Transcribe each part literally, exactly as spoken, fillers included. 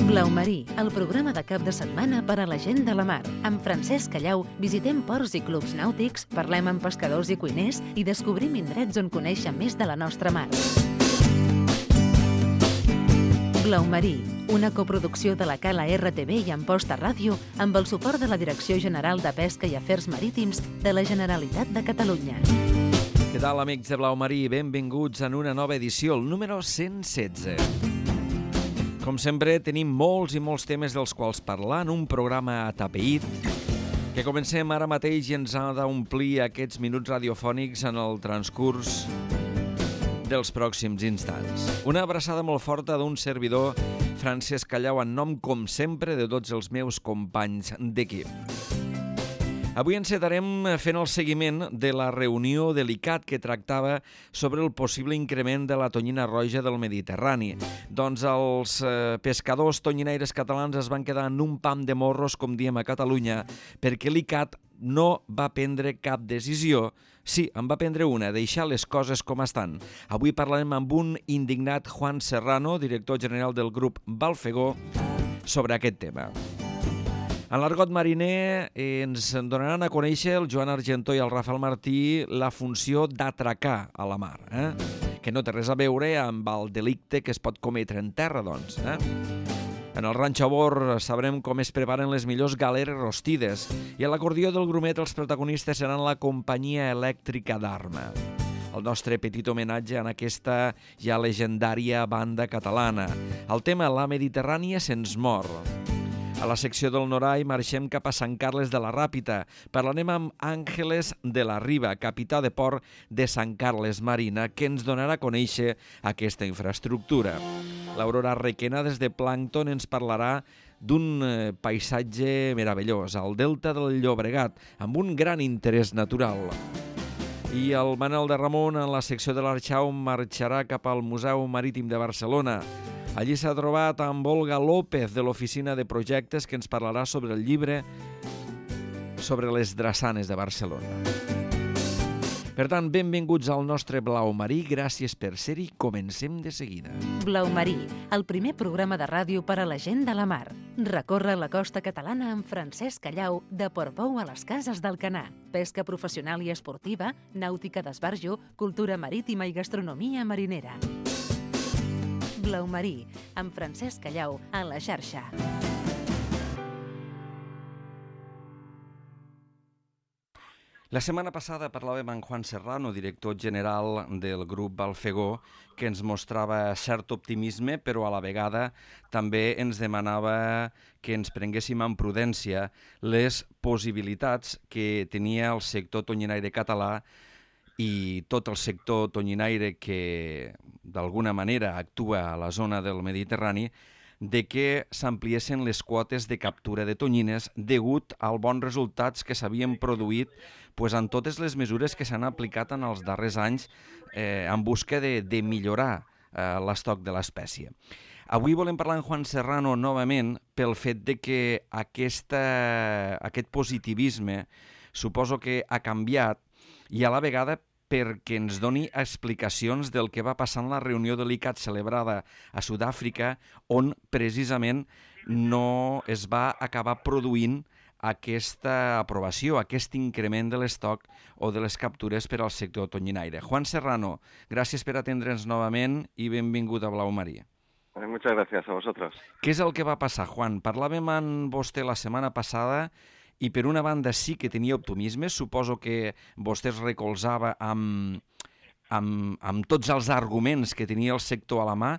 Blau Marí, el programa de cap de setmana per a la gent de la mar. Amb Francesc Callau visitem ports i clubs nàutics, parlem amb pescadors i cuiners i descobrim indrets on conèixer més de la nostra mar. Blau Marí, una coproducció de la Cala R T V i Amposta Ràdio amb el suport de la Direcció General de Pesca i Afers Marítims de la Generalitat de Catalunya. Què tal, amics de Blau Marí? Benvinguts en una nova edició, el número cent setze. Com sempre, tenim molts i molts temes dels quals parlar en un programa atapeït que comencem ara mateix i ens ha d'omplir aquests minuts radiofònics en el transcurs dels pròxims instants. Una abraçada molt forta d'un servidor, Francesc Callau, en nom, com sempre, de tots els meus companys d'equip. Avui encetarem fent el seguiment de la reunió de l'I C A T que tractava sobre el possible increment de la tonyina roja del Mediterrani. Doncs els eh, pescadors tonyinaires catalans es van quedar en un pam de morros, com diem a Catalunya, perquè l'I C A T no va prendre cap decisió. Sí, en va prendre una, deixar les coses com estan. Avui parlarem amb un indignat Juan Serrano, director general del grup Balfegó, sobre aquest tema. En l'argot mariner eh, ens donaran a conèixer el Joan Argentó i el Rafael Martí la funció d'atracar a la mar, eh? que no té res a veure amb el delicte que es pot cometre en terra, doncs. Eh? En el Ranxo a Bord sabrem com es preparen les millors galeres rostides i a l'acordió del grumet els protagonistes seran la companyia elèctrica d'Arma. El nostre petit homenatge en aquesta ja legendària banda catalana. El tema La Mediterrània se'ns mor. A la secció del Norai marxem cap a Sant Carles de la Ràpita. Parlarem amb Àngeles de la Riba, capità de port de Sant Carles Marina, que ens donarà a conèixer aquesta infraestructura. L'Aurora Requena, des de Plàncton, ens parlarà d'un paisatge meravellós, al delta del Llobregat, amb un gran interès natural. I el Manel de Ramon, en la secció de l'Arxau, marxarà cap al Museu Marítim de Barcelona. Allí s'ha trobat amb Olga López, de l'Oficina de Projectes, que ens parlarà sobre el llibre sobre les drassanes de Barcelona. Per tant, benvinguts al nostre Blau Marí, gràcies per ser-hi, comencem de seguida. Blau Marí, el primer programa de ràdio per a la gent de la mar. Recorre la costa catalana amb Francesc Callau, de Portbou a les Cases d'Alcanar. Pesca professional i esportiva, nàutica d'esbarjo, cultura marítima i gastronomia marinera. Blau Marí, amb Francesc Callau, a la xarxa. La setmana passada parlàvem amb Juan Serrano, director general del grup Balfegó, que ens mostrava cert optimisme, però a la vegada també ens demanava que ens prenguéssim amb prudència les possibilitats que tenia el sector tonyinaire català i tot el sector tonyinaire que d'alguna manera actua a la zona del Mediterrani, de que s'ampliessin les quotes de captura de tonyines degut als bons resultats que s'havien produït pues, en totes les mesures que s'han aplicat en els darrers anys eh, en busca de, de millorar eh, l'estoc de l'espècie. Avui volem parlar amb Juan Serrano novament pel fet de que aquesta, aquest positivisme suposo que ha canviat i a la vegada perquè ens doni explicacions del que va passar en la reunió de l'I C A T celebrada a Sud-àfrica, on precisament no es va acabar produint aquesta aprovació, aquest increment de l'estoc o de les captures per al sector tonyinaire. Juan Serrano, gràcies per atendre'ns novament i benvingut a Blau Marí. Muchas gracias a vosotros. Què és el que va passar, Juan? Parlàvem amb vostè la setmana passada i per una banda sí que tenia optimisme, suposo que vostè es recolzava amb, amb, amb tots els arguments que tenia el sector a la mà,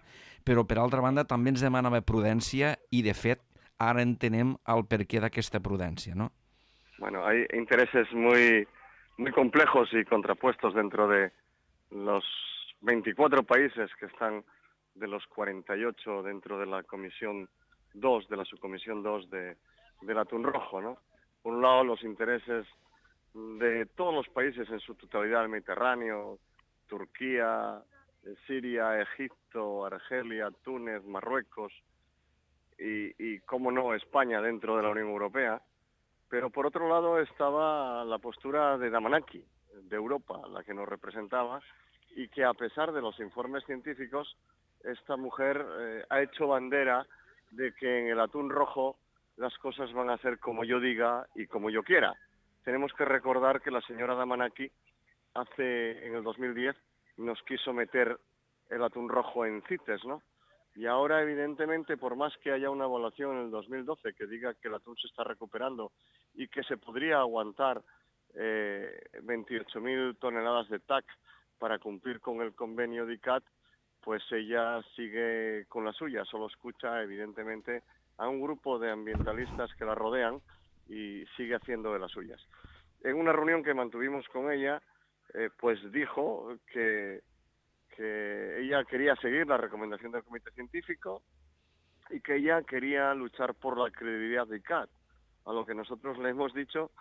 però per altra banda també ens demanava prudència i de fet ara entenem el perquè d'aquesta prudència, ¿no? Bueno, hay intereses muy, muy complejos y contrapuestos dentro de los veinticuatro países que están de los cuarenta y ocho dentro de la Comisión dos, de la Subcomisión dos de, del Atún Rojo, ¿no? Por un lado, los intereses de todos los países en su totalidad del Mediterráneo, Turquía, Siria, Egipto, Argelia, Túnez, Marruecos y, y, cómo no, España dentro de la Unión Europea. Pero por otro lado estaba la postura de Damanaki, de Europa, la que nos representaba, y que a pesar de los informes científicos, esta mujer eh, ha hecho bandera de que en el atún rojo las cosas van a ser como yo diga y como yo quiera. Tenemos que recordar que la señora Damanaki hace, en el dos mil diez, nos quiso meter el atún rojo en CITES, ¿no? Y ahora, evidentemente, por más que haya una evaluación en el dos mil doce que diga que el atún se está recuperando y que se podría aguantar eh, veintiocho mil toneladas de T A C para cumplir con el convenio de I C A T, pues ella sigue con la suya, solo escucha, evidentemente, a un grupo de ambientalistas que la rodean y sigue haciendo de las suyas. En una reunión que mantuvimos con ella, eh, pues dijo que que ella quería seguir la recomendación del comité científico y que ella quería luchar por la credibilidad de I C A T, a lo que nosotros le hemos dicho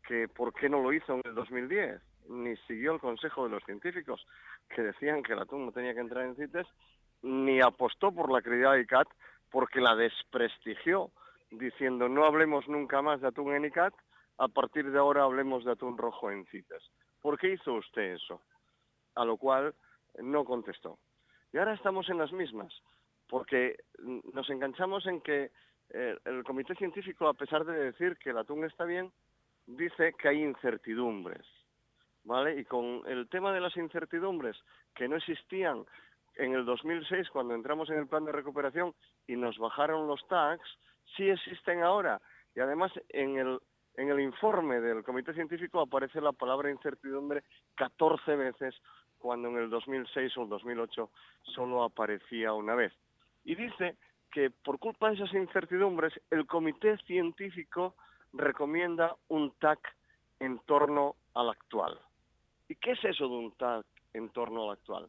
que por qué no lo hizo en el dos mil diez, ni siguió el consejo de los científicos que decían que el atún no tenía que entrar en CITES, ni apostó por la credibilidad de I C A T porque la desprestigió, diciendo no hablemos nunca más de atún en I C A T, a partir de ahora hablemos de atún rojo en CITES. ¿Por qué hizo usted eso? A lo cual no contestó. Y ahora estamos en las mismas, porque nos enganchamos en que eh, el comité científico, a pesar de decir que el atún está bien, dice que hay incertidumbres, ¿vale? Y con el tema de las incertidumbres que no existían en el dos mil seis cuando entramos en el plan de recuperación y nos bajaron los T A Cs, sí existen ahora. Y además en el, en el informe del comité científico aparece la palabra incertidumbre catorce veces, cuando en el dos mil seis o el dos mil ocho solo aparecía una vez. Y dice que por culpa de esas incertidumbres, el comité científico recomienda un T A C en torno al actual. ¿Y qué es eso de un T A C en torno al actual?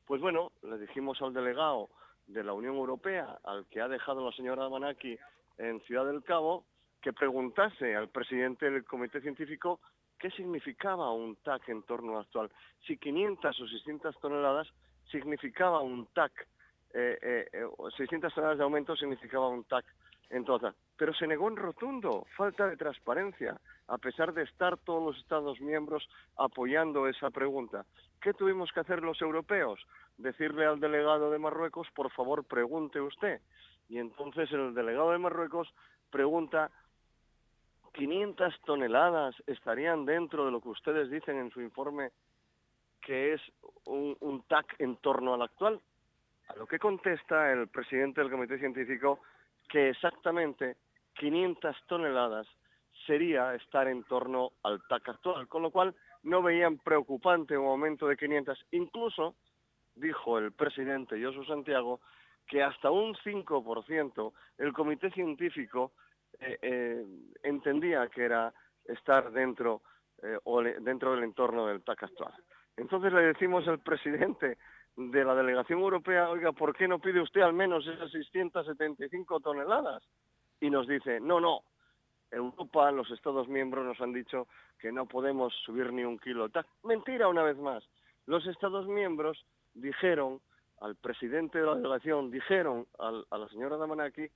Pues bueno, le dijimos al delegado de la Unión Europea, al que ha dejado la señora Damanaki en Ciudad del Cabo, que preguntase al presidente del comité científico qué significaba un T A C en torno al actual. Si quinientas o seiscientas toneladas significaba un T A C, eh, eh, seiscientas toneladas de aumento significaba un T A C en total. Pero se negó en rotundo, falta de transparencia, a pesar de estar todos los Estados miembros apoyando esa pregunta. ¿Qué tuvimos que hacer los europeos? Decirle al delegado de Marruecos, por favor, pregunte usted. Y entonces el delegado de Marruecos pregunta, ¿quinientas toneladas estarían dentro de lo que ustedes dicen en su informe que es un, un T A C en torno al actual? A lo que contesta el presidente del comité científico que exactamente quinientas toneladas sería estar en torno al T A C actual, con lo cual no veían preocupante un aumento de quinientas. Incluso, dijo el presidente Josu Santiago, que hasta un cinco por ciento el comité científico eh, eh, entendía que era estar dentro, eh, o le, dentro del entorno del T A C actual. Entonces le decimos al presidente de la delegación europea, oiga, ¿por qué no pide usted al menos esas seiscientas setenta y cinco toneladas? Y nos dice, no, no, Europa, los Estados miembros nos han dicho que no podemos subir ni un kilo. Mentira una vez más. Los Estados miembros dijeron al presidente de la delegación, dijeron al, a la señora Damanaki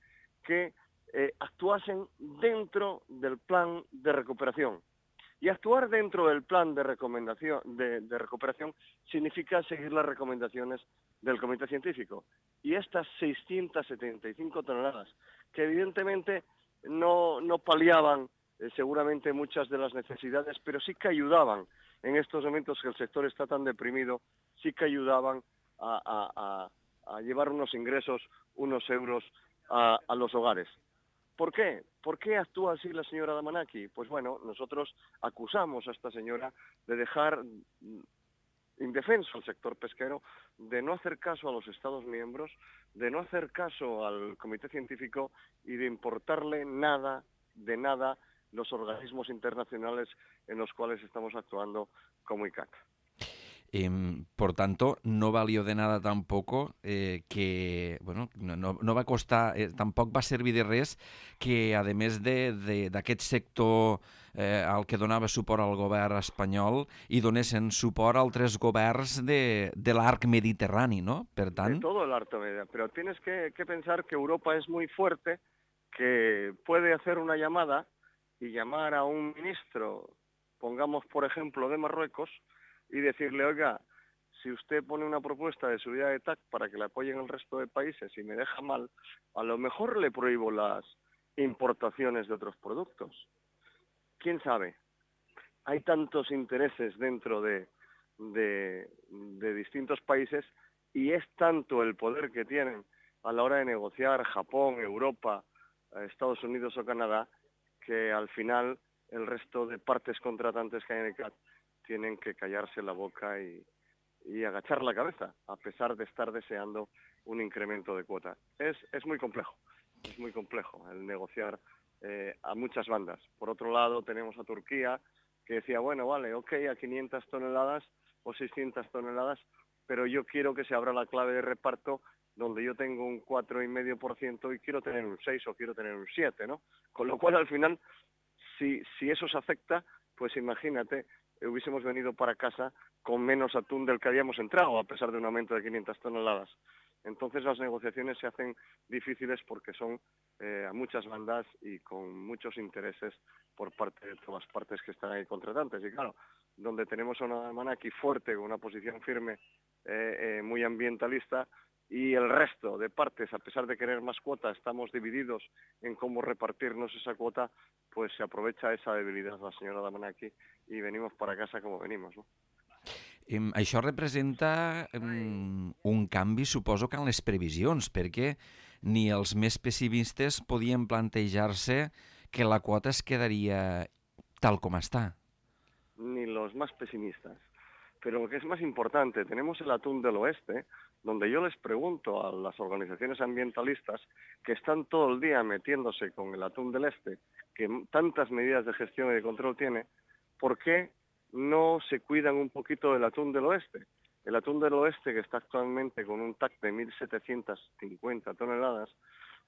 que eh, actuasen dentro del plan de recuperación. Y actuar dentro del plan de, recomendación, de, de recuperación significa seguir las recomendaciones del comité científico. Y estas seiscientas setenta y cinco toneladas, que evidentemente no, no paliaban eh, seguramente muchas de las necesidades, pero sí que ayudaban en estos momentos que el sector está tan deprimido, sí que ayudaban a, a, a, a llevar unos ingresos, unos euros a, a los hogares. ¿Por qué? ¿Por qué actúa así la señora Damanaki? Pues bueno, nosotros acusamos a esta señora de dejar indefenso al sector pesquero, de no hacer caso a los Estados miembros, de no hacer caso al comité científico y de importarle nada, de nada, los organismos internacionales en los cuales estamos actuando como I C A T. Eh, por tanto, no valió de nada tampoco eh, que, bueno, no, no, no va costar, eh, tampoc va servir de res que, a més d'aquest sector eh, al que donava suport al govern espanyol, hi donessin suport a altres governs de, de l'arc mediterrani, ¿no? Per tant... De todo el arco mediterráneo, pero tienes que, que pensar que Europa es muy fuerte, que puede hacer una llamada y llamar a un ministro, pongamos por ejemplo de Marruecos, y decirle, oiga, si usted pone una propuesta de subida de T A C para que la apoyen el resto de países y me deja mal, a lo mejor le prohíbo las importaciones de otros productos. ¿Quién sabe? Hay tantos intereses dentro de, de, de distintos países y es tanto el poder que tienen a la hora de negociar Japón, Europa, Estados Unidos o Canadá, que al final el resto de partes contratantes que hay en el C A T tienen que callarse la boca y, y agachar la cabeza, a pesar de estar deseando un incremento de cuota. Es, es muy complejo, es muy complejo el negociar eh, a muchas bandas. Por otro lado, tenemos a Turquía, que decía, bueno, vale, ok, a quinientas toneladas o seiscientas toneladas, pero yo quiero que se abra la clave de reparto donde yo tengo un cuatro coma cinco por ciento y quiero tener un seis o quiero tener un siete, ¿no? Con lo cual, al final, si, si eso se afecta, pues imagínate, hubiésemos venido para casa con menos atún del que habíamos entrado, a pesar de un aumento de quinientas toneladas. Entonces las negociaciones se hacen difíciles porque son eh, a muchas bandas y con muchos intereses por parte de todas las partes que están ahí contratantes. Y claro, donde tenemos a una Damanaki fuerte, con una posición firme, eh, eh, muy ambientalista, y el resto de partes, a pesar de querer más cuota, estamos divididos en cómo repartirnos esa cuota, pues se aprovecha esa debilidad la senyora Damanaki i venimos para casa como venimos, no? Eh, això representa eh, un canvi, suposo, que en les previsions, perquè ni els més pessimistes podien plantejar-se que la quota es quedaria tal com està. Ni los más pesimistas. Pero lo que es más importante, tenemos el atún del oeste, donde yo les pregunto a las organizaciones ambientalistas que están todo el día metiéndose con el atún del este, que tantas medidas de gestión y de control tiene, ¿por qué no se cuidan un poquito del atún del oeste? El atún del oeste, que está actualmente con un T A C de mil setecientas cincuenta toneladas,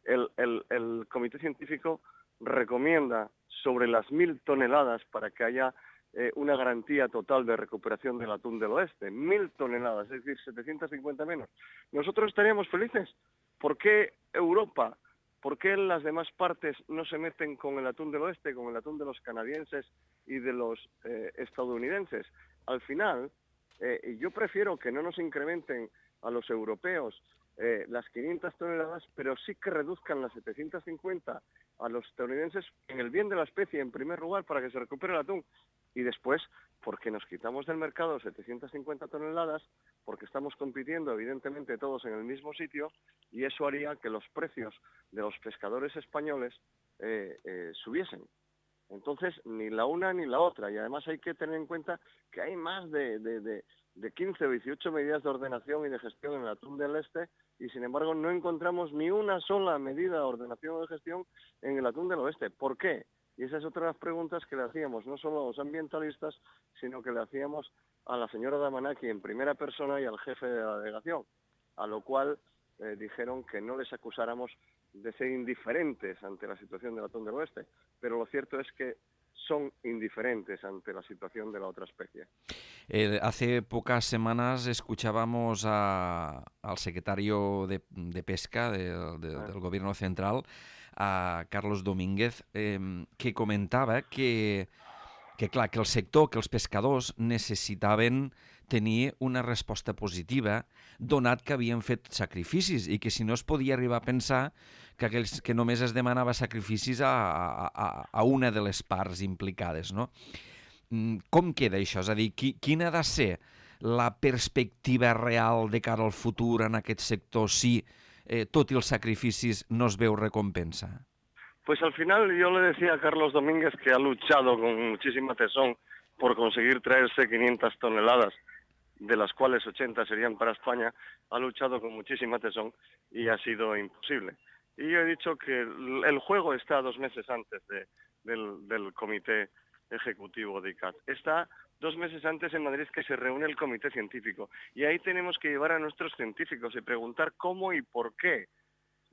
el, el, el comité científico recomienda sobre las mil toneladas para que haya Eh, una garantía total de recuperación del atún del oeste, mil toneladas, es decir, setecientas cincuenta menos. Nosotros estaríamos felices. ¿Por qué Europa, por qué las demás partes no se meten con el atún del oeste, con el atún de los canadienses y de los eh, estadounidenses? Al final, eh, yo prefiero que no nos incrementen a los europeos eh, las quinientas toneladas, pero sí que reduzcan las setecientas cincuenta a los estadounidenses en el bien de la especie, en primer lugar, para que se recupere el atún. Y después, porque nos quitamos del mercado setecientas cincuenta toneladas, porque estamos compitiendo evidentemente todos en el mismo sitio, y eso haría que los precios de los pescadores españoles eh, eh, subiesen. Entonces, ni la una ni la otra. Y además hay que tener en cuenta que hay más de, de, de, de quince o dieciocho medidas de ordenación y de gestión en el atún del este, y sin embargo no encontramos ni una sola medida de ordenación o de gestión en el atún del oeste. ¿Por qué? Y esa es otra de las preguntas que le hacíamos, no solo a los ambientalistas, sino que le hacíamos a la señora Damanaki en primera persona y al jefe de la delegación, a lo cual eh, dijeron que no les acusáramos de ser indiferentes ante la situación del atún del oeste, pero lo cierto es que son indiferentes ante la situación de la otra especie. Eh, hace pocas semanas escuchábamos a, al secretario de, de Pesca de, de, ah. del Gobierno Central, a Carlos Domínguez, eh, que comentava que, que, clar, que el sector, que els pescadors necessitaven tenir una resposta positiva, donat que havien fet sacrificis i que si no es podia arribar a pensar que, aquells, que només es demanava sacrificis a, a, a una de les parts implicades, no? Com queda això? És a dir, qui, quina ha de ser la perspectiva real de cara al futur en aquest sector si, eh, tot i els sacrificis, no es veu recompensa? Pues al final yo le decía a Carlos Domínguez que ha luchado con muchísima tesón por conseguir traerse quinientas toneladas, de las cuales ochenta serían para España, ha luchado con muchísima tesón y ha sido imposible. Y yo he dicho que el juego está dos meses antes de, del, del comité ejecutivo de I C A T. Está dos meses antes en Madrid que se reúne el comité científico. Y ahí tenemos que llevar a nuestros científicos y preguntar cómo y por qué.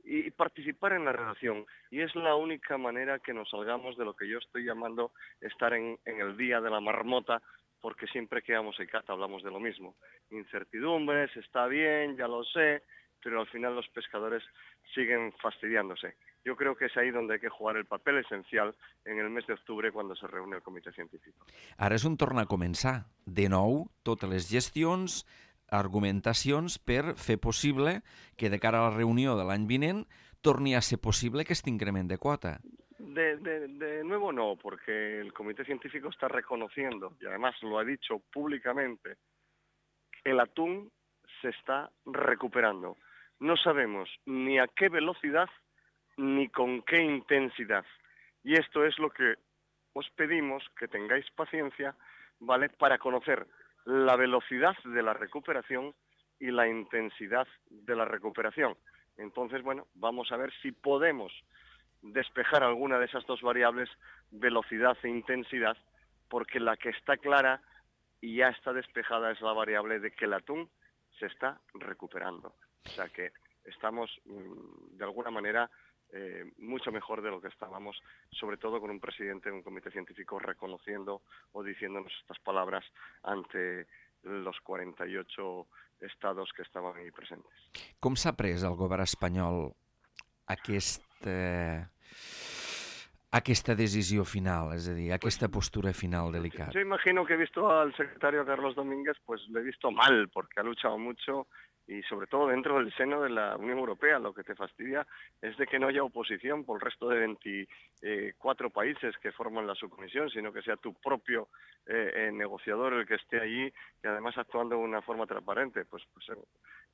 Y participar en la redacción. Y es la única manera que nos salgamos de lo que yo estoy llamando estar en, en el día de la marmota, porque siempre que vamos a I C A T hablamos de lo mismo. Incertidumbres, está bien, ya lo sé, pero al final los pescadores siguen fastidiándose. Yo creo que es ahí donde hay que jugar el papel esencial en el mes de octubre cuando se reúne el comitè científic. Ara és on torna a començar. De nou, totes les gestions, argumentacions per fer possible que de cara a la reunió de l'any vinent torni a ser possible aquest increment de quota. De, de, de nuevo no, porque el Comité Científico está reconociendo, y además lo ha dicho públicamente, que el atún se está recuperando. No sabemos ni a qué velocidad ni con qué intensidad. Y esto es lo que os pedimos, que tengáis paciencia, ¿vale?, para conocer la velocidad de la recuperación y la intensidad de la recuperación. Entonces, bueno, vamos a ver si podemos despejar alguna de esas dos variables, velocidad e intensidad, porque la que está clara y ya está despejada es la variable de que el atún se está recuperando. O sea que estamos, de alguna manera, eh, mucho mejor de lo que estábamos, sobre todo con un presidente de un comité científico reconociendo o diciéndonos estas palabras ante los cuarenta y ocho estados que estaven ahí presentes. Com s'ha pres el govern espanyol aquesta, aquesta decisió final, és a dir, aquesta postura final delicada? Yo imagino que he visto al secretario Carlos Domínguez, pues lo he visto mal, porque ha luchado mucho y sobre todo dentro del seno de la Unión Europea. Lo que te fastidia es de que no haya oposición por el resto de veinticuatro países que forman la subcomisión, sino que sea tu propio eh, eh, negociador el que esté allí y además actuando de una forma transparente. Pues, pues eh,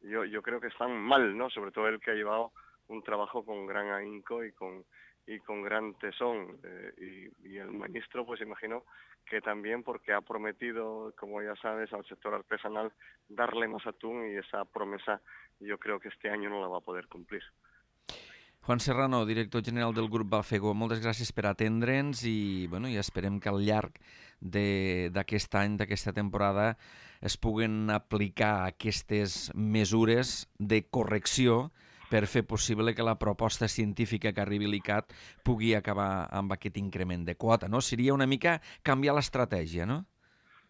yo, yo creo que están mal, ¿no? Sobre todo el que ha llevado un trabajo con gran ahínco y con y con gran tesón, eh, y, y el ministro, pues imagino que también porque ha prometido, como ya sabes, al sector artesanal darle más atún, y esa promesa yo creo que este año no la va a poder cumplir. Juan Serrano, director general del grup Balfego, moltes gràcies per atendre'ns i, bueno, i esperem que al llarg d'aquest any, d'aquesta temporada, es puguen aplicar aquestes mesures de correcció per fer possible que la proposta científica que arribi a l'ICAT pugui acabar amb aquest increment de quota, ¿no? Seria una mica canviar l'estratègia, ¿no?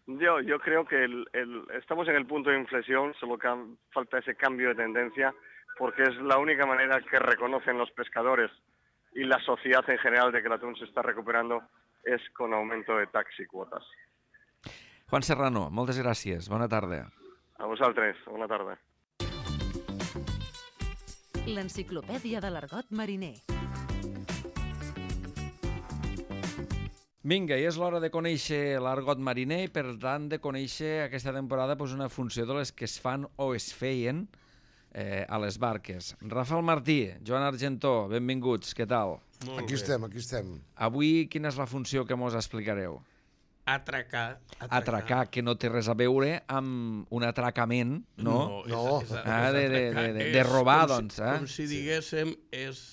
Yo, yo creo que el, el, estamos en el punto de inflexión, solo que falta ese cambio de tendencia, porque es la única manera que reconocen los pescadores y la sociedad en general de que el atún se está recuperando es con aumento de tax y cuotas. Juan Serrano, moltes gràcies. Bona tarda. A vosaltres, bona tarda. L'enciclopèdia de l'argot mariner. Vinga, i és l'hora de conèixer l'argot mariner i, per tant, de conèixer aquesta temporada doncs, una funció de les que es fan o es feien eh, a les barques. Rafael Martí, Joan Argentó, benvinguts, què tal? Molt aquí bé. estem, aquí estem. Avui, quina és la funció que mos explicareu? Atracar, atracar. Atracar, que no té res a veure amb un atracament, no? No, no. És, és, ah, és de, de, de, de, de robar, doncs. Eh? Com si diguéssim, és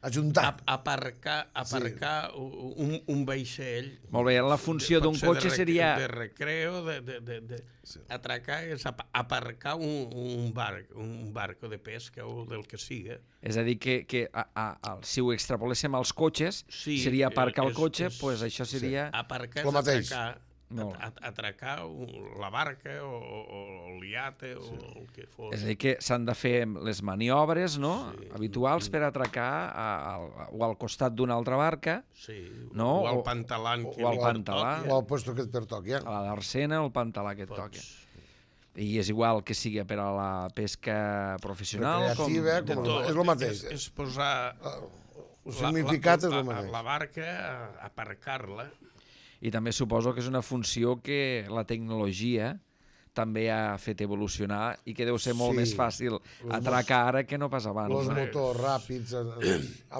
ajuntar. Aparcar, aparcar sí. un, un vaixell. Molt bé, la funció d'un cotxe de, seria... De recreo, de, de, de, de sí. Atracar és aparcar un, un barc, un barco de pesca o del que siga. És a dir, que, que a, a, a, si ho extrapoléssim als cotxes, sí, seria aparcar és, el cotxe, doncs és, pues això seria... Sí. Aparcar és atracar. Atracar la barca o, o el iate o sí. el que fos. És a dir, que s'han de fer les maniobres, no?, sí. habituals per atracar a, a, o al costat d'una altra barca, sí. no? o al pantalà, o, o al pantalà, o al puesto que et pertoqui, eh? a la darsena o al pantalà que et Pots. toqui. I és igual que sigui per a la pesca professional, com... com tot, és el mateix. És, és posar... El significat la, és la, el mateix. La barca, aparcar-la. I també suposo que és una funció que la tecnologia també ha fet evolucionar i que deu ser molt sí. més fàcil atracar ara que no pas abans. Els motors ràpids,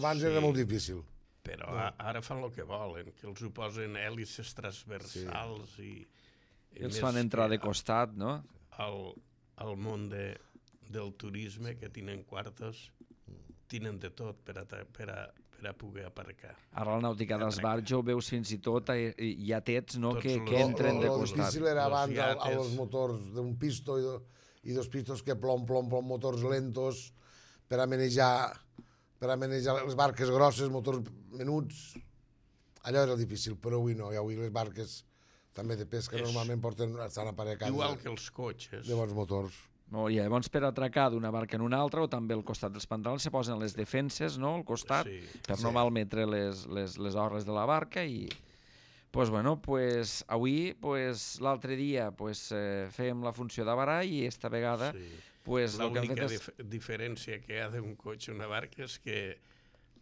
abans sí. era molt difícil. Però no. ara fan el que volen, que els ho posen hèlices transversals sí. i... I els fan entrar de costat, no? Al, al món de, del turisme, que tenen quartos, tenen de tot per a, per a, per a poder aparcar. Ara la nàutica dels barcs ho veus fins i tot, hi ha tets no, que, los, que entren de costat. costat. El difícil era abans a, a los motors d'un pisto i, do, i dos pistos que plom, plom, plom, motors lentos per a manejar, per a manejar les barques grosses, motors menuts. Allò era difícil, però avui no. I avui les barques també de pesca és... normalment porten, estan aparecades. Igual que els cotxes. De bons motors. No, i llavors per atracar d'una barca en una altra o també al costat dels pantalons se posen les defenses, no?, al costat, sí, per sí. no malmetre les, les, les orres de la barca i Pues bueno, pues avui, pues l'altre dia, pues eh, fèiem la funció de barall i esta vegada, Sí. pues el que hem L'única fet és... dif diferència que hi ha d'un cotxe a una barca és que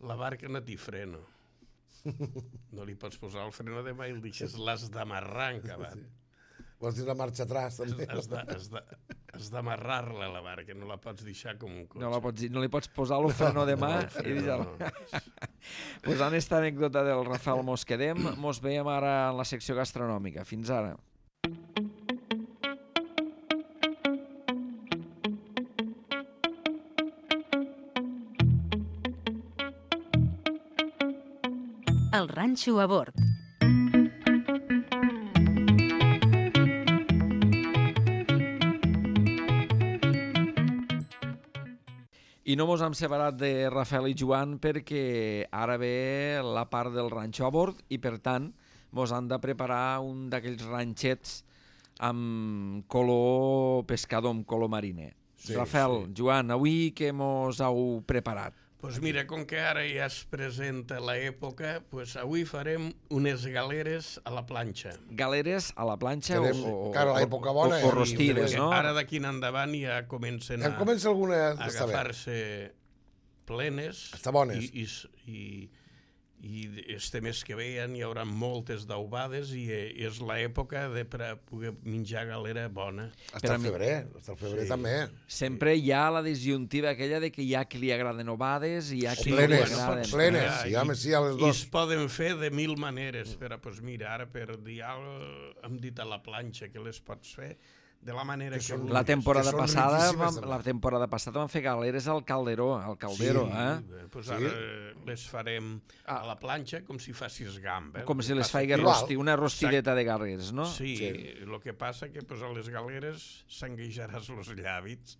la barca no té freno. No li pots posar el freno de mà i el deixes, l'has d'amarrar en cavall. Vols dir la marxa atrás, també? Has de- has de- has d'amarrar-la a la barca, no la pots deixar com un cotxe. No, la pots, dir- no li pots posar el freno de mà No, i deixar-la. no. Pues en esta anècdota del Rafael mos quedem, mos veiem ara en la secció gastronòmica. Fins ara. El ranxo a bord. I no mos hem separat de Rafael i Joan perquè ara ve la part del ranxo a bord i, per tant, mos han de preparar un d'aquells ranxets amb color pescador, amb color mariner. Sí, Rafael, sí. Joan, avui què mos heu preparat? Pues mira, com que ara ja es presenta l'època, pues avui farem unes galeres a la planxa. Galeres a la planxa Farem, o, o, clar, o, l'època o, bona, o eh? rostides, Perquè no? Ara d'aquí en endavant ja comencen Em a, comença alguna a d'estar bé. agafar-se plenes. Està bones. I, i, i, i este mes que ve hi haurà moltes daubades i eh, és l'època de per a poder menjar galera bona. Està al febrer, està al febrer Sí. també. Sempre hi ha la disjuntiva aquella de que hi ha qui li agraden ovades i hi ha O qui plenes, li agraden. plenes. Ah, sí, i- home, sí, a les I dos. es poden fer de mil maneres, però pues mira, ara per dir alguna cosa hem dit a la planxa que les pots fer de la manera Que que, són- vulguis. La temporada Que són passada riquíssimes, vam, també. la temporada passada vam fer galeres al Calderó, al Caldero, Sí. eh? Eh, Pues Sí. ara les farem Ah. a la planxa com si facis gamba. Com El si que les passa faigués que- rosti, una rostideta de galeres, no? Sí, Sí. el que passa que pues, a les galeres s'engueixaràs els llavis,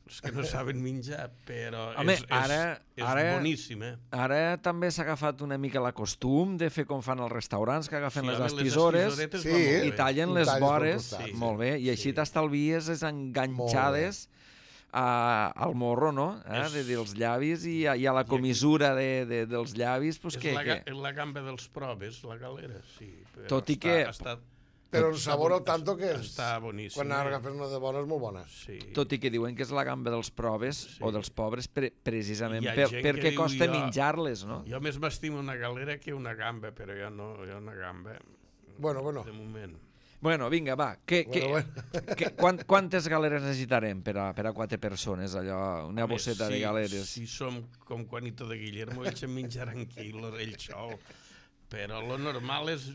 els que no saben menjar, però Home, és, és, ara- és ara- boníssim, eh? Ara també s'ha agafat una mica la costum de fer com fan els restaurants, que agafen les home, estisores estisoretes Sí. van molt i bé. tallen I les talles pel vores, costat, sí. molt bé, i així Sí. t'estalvies les enganxades a, al morro, no? Eh? És- De, dels llavis i, a- i a la comissura de, de, dels llavis, pues És què, la, què? ga- la gamba dels proves, la galera, sí. Però Tot i està, que- Està, Però el està sabor bon- al tanto que és... Està boníssim. Quan eh? agafes una de bona és molt bona. Sí. Tot i que diuen que és la gamba dels proves Sí. o dels pobres pre precisament Hi ha per, gent que perquè diu, costa jo- menjar-les, no? Jo més m'estimo una galera que una gamba, però jo no, jo una gamba, Bueno, bueno. de moment. Bueno, vinga, va. Que, que, Bueno, que, quant, quantes galeres necessitarem per a, per a quatre persones, allò? Una Home, bosseta si, de galeres. Si som com Juanito de Guillermo, ells en menjaran quilos, ell sol. Però lo normal és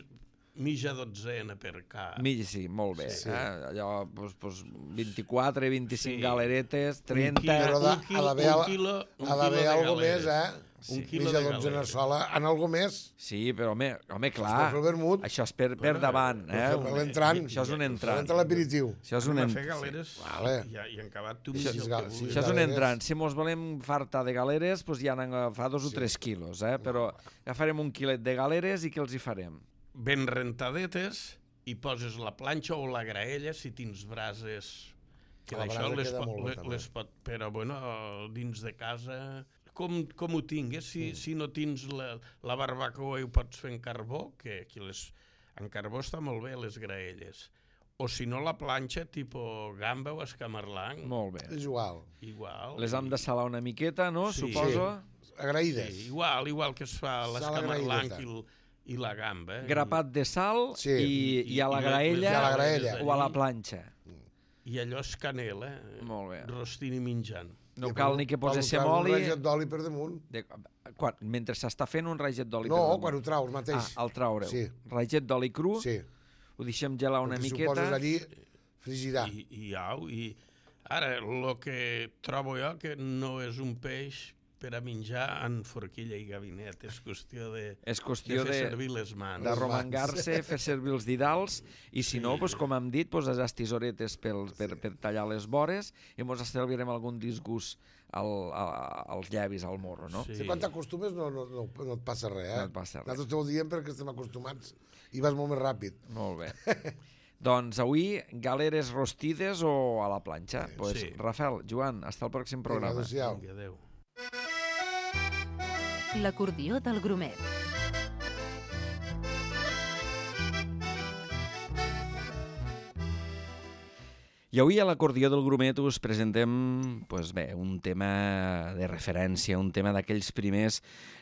mitja dotzena per cap. Mig, sí, molt bé. Sí. Eh? Allò, pues, pues, vint-i-quatre, vint-i-cinc Sí. galeretes, trenta... Però de- un quilo, ha d'haver un al- quilo, un Ha d'haver quilo de algo més, galeres. eh? Un Sí. quilo Mitja de dotzena galeres. sola. En algo més? Sí, però home, home clar, Per fer el vermut. això és per, per Bueno, davant. Per Eh? fer l'entrant. Això és un entrant. Entra l'aperitiu. Això és un Anem a fer entrant. galeres Vale. i, i en acabat tu Això- mitja el gal- que sí, vulguis. Això és un galeres. entrant. Si mos volem fartar de galeres, doncs ja n'han agafat dos o tres quilos, eh? Però agafarem un quilet de galeres i què els hi farem? Ben rentadetes i poses la planxa o la graella si tens brases que La d'això brasa les, queda pot, molt bé, les, també. les pot, però bueno, dins de casa com, com ho tingues, si, Mm. si no tens la, la barbacoa i ho pots fer en carbó, que aquí les, en carbó està molt bé les graelles, o si no la planxa tipus gamba o escamarlang, Molt bé. És igual. igual. Les hem de salar una miqueta, no? Sí. Suposo. Agraïdes. Sí, igual, igual que es fa Sal l'escamarlang agraïdeta. i, el, i la gamba. eh? Grapat de sal Sí. i, i a la I- i graella, I a la graella. o a la planxa. I allò és canela, eh? Molt bé. Rostint i menjant. No I cal ni que quan ho poséssim traus, oli. Un raget d'oli per damunt. De, quan, mentre s'està fent un raget d'oli. No, per damunt. quan ho traus mateix. Ah, el traureu. Sí. Raget d'oli cru, Sí. ho deixem gelar una Perquè si ho miqueta. poses allí, frigirà. I, i au, i ara, el que trobo jo que no és un peix per a menjar en forquilla i gabinet, és qüestió de, És de qüestió fer de, servir les mans. de romangar-se, fer servir els didals, i si no, doncs, com hem dit, doncs, les tisoretes pel, per, per tallar les vores, i ens estalviarem algun disgust al, a, als llavis, al morro, no? Sí. Si quan t'acostumes no, no, no, no et passa res, eh? No et passa res. Nosaltres t'ho diem perquè estem acostumats i vas molt més ràpid. Molt bé. Doncs avui, galeres rostides o a la planxa? Sí. Pues, Sí. Rafael, Joan, hasta el pròxim Vinga, programa. adéu-siau. Vinga, adéu. L'acordió del Grumet. I avui a l'Acordió del Grumet us presentem pues bé, un tema de referència, un tema d'aquells primers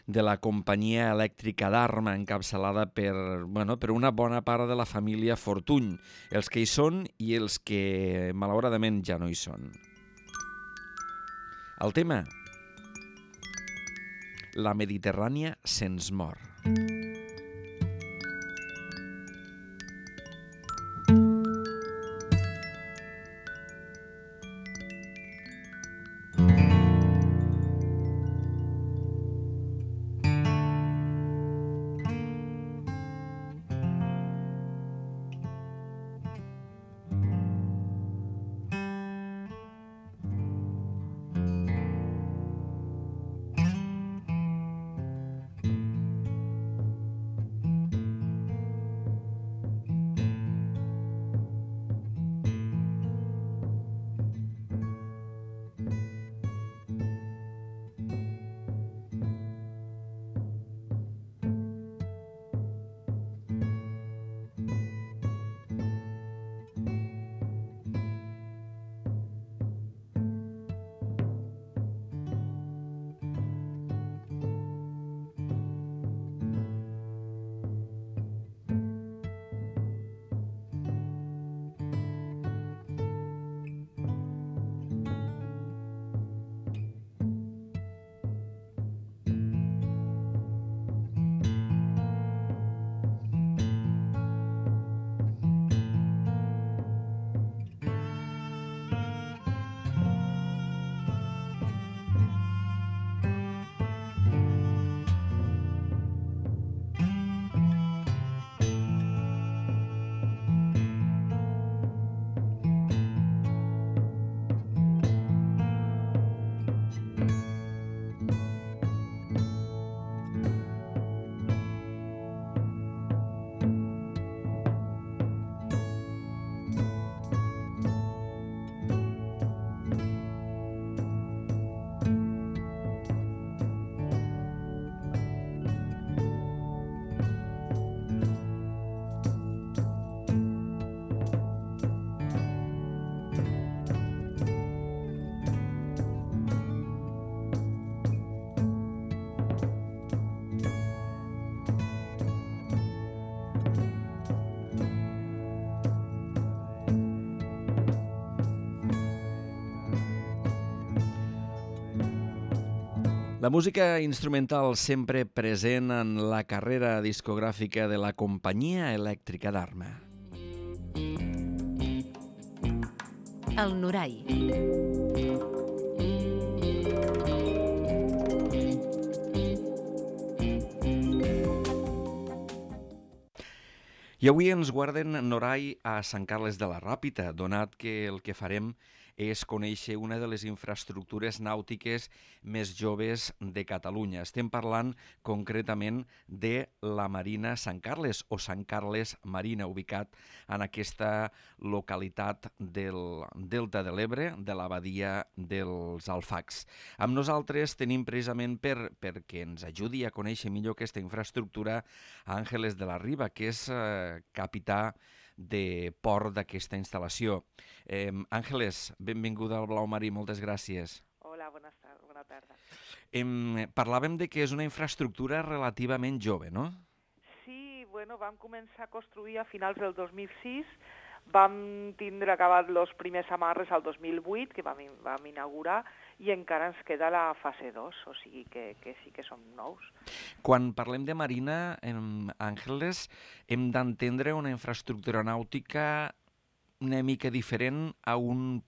de la companyia elèctrica d'Arma, encapçalada per, bueno, per una bona part de la família Fortuny, els que hi són i els que malauradament ja no hi són. El tema: La Mediterrània se'ns mor. La música instrumental sempre present en la carrera discogràfica de la companyia elèctrica d'Arma. El Norai. I avui ens guarden Norai a Sant Carles de la Ràpita, donat que el que farem és conèixer una de les infraestructures nàutiques més joves de Catalunya. Estem parlant concretament de la Marina Sant Carles, o Sant Carles Marina, ubicat en aquesta localitat del Delta de l'Ebre, de la badia dels Alfacs. Amb nosaltres tenim precisament per, perquè ens ajudi a conèixer millor aquesta infraestructura a Àngeles de la Riba, que és eh, capità de port d'aquesta instal·lació. Eh, Àngeles, benvinguda al Blau Marí, moltes gràcies. Hola, bona tarda. Bona tarda. Eh, parlàvem de que és una infraestructura relativament jove, no? Sí, bueno, vam començar a construir a finals del dos mil sis, vam tindre acabat els primers amarres al dos mil vuit, que vam, vam inaugurar, i encara ens queda la fase dos, o sigui que, que sí que som nous. Quan parlem de marina, en Àngeles, hem d'entendre una infraestructura nàutica una mica diferent a un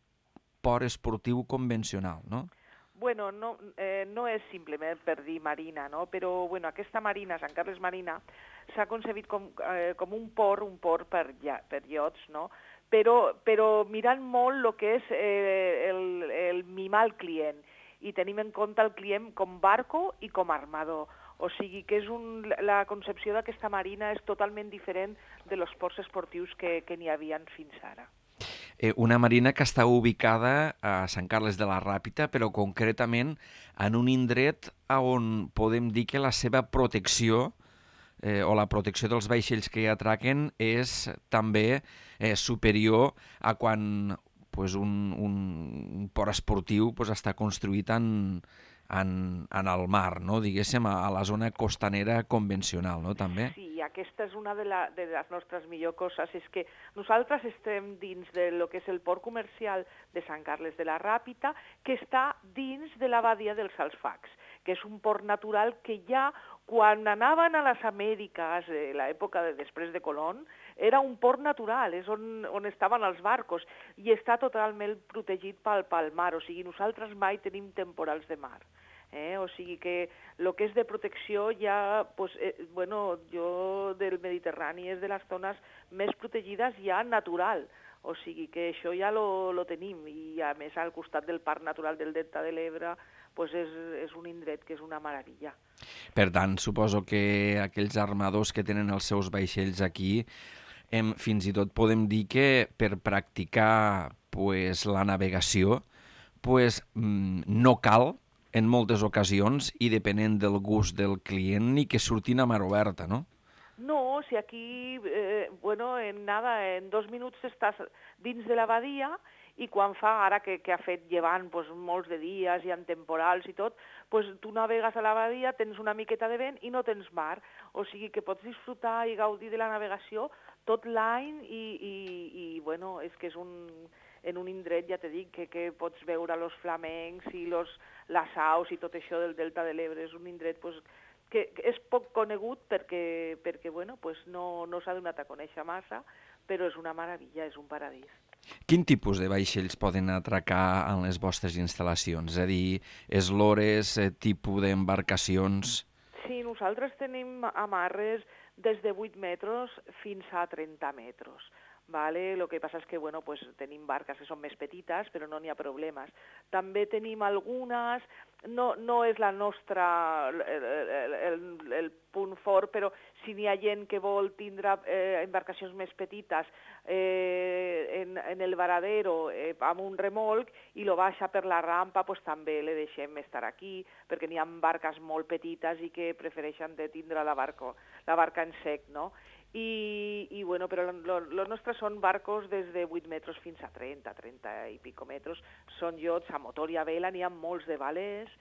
port esportiu convencional, no? Bueno, no, eh, no és simplement per dir marina, no? Però bueno, aquesta marina, Sant Carles Marina, s'ha concebit com, eh, com un port, un port per, ja, per iots, no? Però, però mirant molt el que és eh, el, el mimar al client i tenim en compte el client com barco i com armador. O sigui que és un, la concepció d'aquesta marina és totalment diferent de los ports esportius que, que n'hi havia fins ara. Eh, una marina que està ubicada a Sant Carles de la Ràpita, però concretament en un indret on podem dir que la seva protecció eh, o la protecció dels vaixells que hi atraquen és també eh, superior a quan pues un, un port esportiu pues, està construït en, en, en el mar, no? Diguéssim, a, a la zona costanera convencional, no? També? Sí, aquesta és una de, la, de les nostres millors coses, és que nosaltres estem dins de lo que és el port comercial de Sant Carles de la Ràpita, que està dins de la badia dels Alfacs, que és un port natural que ja quan anaven a les Amèriques, eh, l'època de, després de Colón, era un port natural, és on, on estaven els barcos, i està totalment protegit pel, pel mar, o sigui, nosaltres mai tenim temporals de mar. Eh? O sigui que el que és de protecció ja, pues, eh, bueno, jo del Mediterrani és de les zones més protegides ja natural, o sigui que això ja lo, lo tenim, i a més al costat del Parc Natural del Delta de l'Ebre, pues és, és un indret que és una meravella. Per tant, suposo que aquells armadors que tenen els seus vaixells aquí, em, fins i tot podem dir que per practicar pues, la navegació pues, no cal en moltes ocasions i depenent del gust del client ni que surtin a mar oberta, no? No, si aquí, eh, bueno, en nada, en dos minuts estàs dins de la badia i quan fa, ara que, que ha fet llevant pues, molts de dies i en temporals i tot, pues, tu navegues a la badia, tens una miqueta de vent i no tens mar. O sigui que pots disfrutar i gaudir de la navegació tot l'any i, i, i bueno, és que és un, en un indret, ja t'he dit, que, que pots veure els flamencs i los, les aus i tot això del Delta de l'Ebre. És un indret pues, que és poc conegut perquè, perquè bueno, pues no, no s'ha donat a conèixer massa, però és una meravella, és un paradís. Quin tipus de vaixells poden atracar en les vostres instal·lacions? És a dir, eslores, eh, tipus d'embarcacions? Sí, nosaltres tenim amarres des de vuit metres fins a trenta metres. Vale? Lo que passa és que bueno, pues, tenim barques que són més petites, però no n'hi ha problemes. També tenim algunes, no, no és la nostra, el, el, el, el punt fort, però si n'hi ha gent que vol tindre eh, embarcacions més petites eh, en, en el varadero eh, amb un remolc i lo baixa per la rampa, pues, també le deixem estar aquí, perquè n'hi ha barques molt petites i que prefereixen de tindre la, barco, la barca en sec, no? I, i bueno, però els nostres són barcos des de vuit metres fins a trenta, trenta i pico metres. Són iots a motor i a vela, n'hi ha molts de velers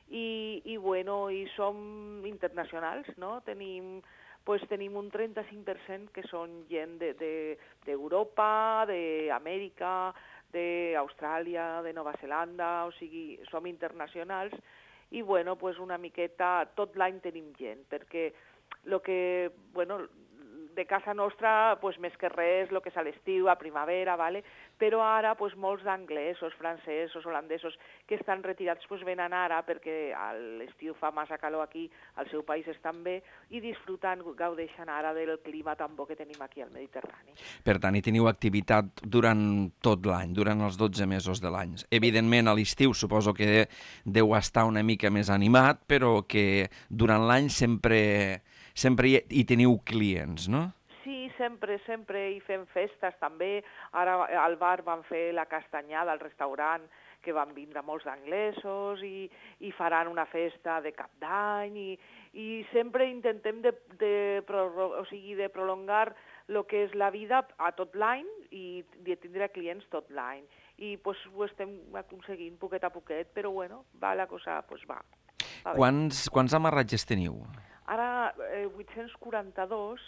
i, i bueno, i som internacionals, no? Tenim, pues, tenim un trenta-cinc per cent que són gent d'Europa, de, de, d'Amèrica, d'Austràlia, de Nova Zelanda, o sigui, som internacionals i bueno, pues una miqueta, tot l'any tenim gent, perquè lo que, bueno, de casa nostra, pues, més que res, el que és a l'estiu, a primavera, vale? Però ara pues, molts d'anglesos, francesos, holandesos que estan retirats pues, venen ara perquè a l'estiu fa massa calor aquí, al seu país estan bé i disfruten, gaudeixen ara del clima tan bo que tenim aquí al Mediterrani. Per tant, hi teniu activitat durant tot l'any, durant els dotze mesos de l'any. Evidentment, a l'estiu suposo que deu estar una mica més animat, però que durant l'any sempre... sempre hi teniu clients, no? Sí, sempre, sempre hi fem festes també. Ara al bar van fer la castanyada, al restaurant, que van vindre molts anglesos i, i faran una festa de cap d'any i, i sempre intentem de, de, o sigui, de prolongar el que és la vida a tot l'any i de tindre clients tot l'any. I pues, ho estem aconseguint poquet a poquet, però bueno, va la cosa, pues va. va quants, quants amarratges teniu? Ara eh, vuit-cents quaranta-dos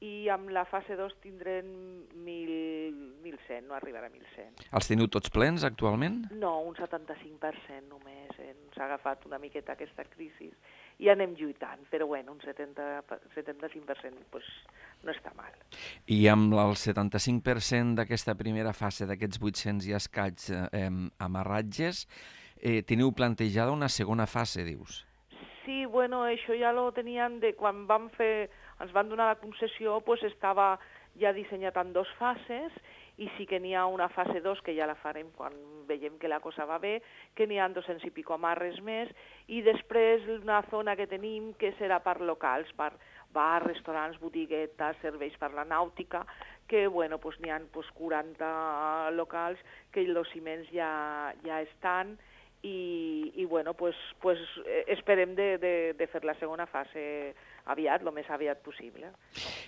i amb la fase dos tindrem mil cent, no arribarà a mil cent. Els teniu tots plens actualment? No, un setanta-cinc per cent només. Ens ha agafat una miqueta aquesta crisi i anem lluitant, però bueno, un setanta, setanta-cinc per cent pues, no està mal. I amb el setanta-cinc per cent d'aquesta primera fase, d'aquests vuit-cents i escaig eh, amarratges, eh, teniu plantejada una segona fase, dius? Sí, bueno, això ja lo tenien de quan vam fer, ens van donar la concessió, pues estava ja dissenyat en dos fases i sí que n'hi ha una fase dos que ja la farem quan veiem que la cosa va bé, que n'hi ha dos-cents i pico amarres més i després una zona que tenim que serà per locals, per bars, restaurants, botiguetes, serveis per la nàutica, que bueno, pues n'hi ha pues, quaranta locals que els ciments ja, ja estan i, i bueno, pues, pues, esperem de, de, de fer la segona fase aviat, el més aviat possible.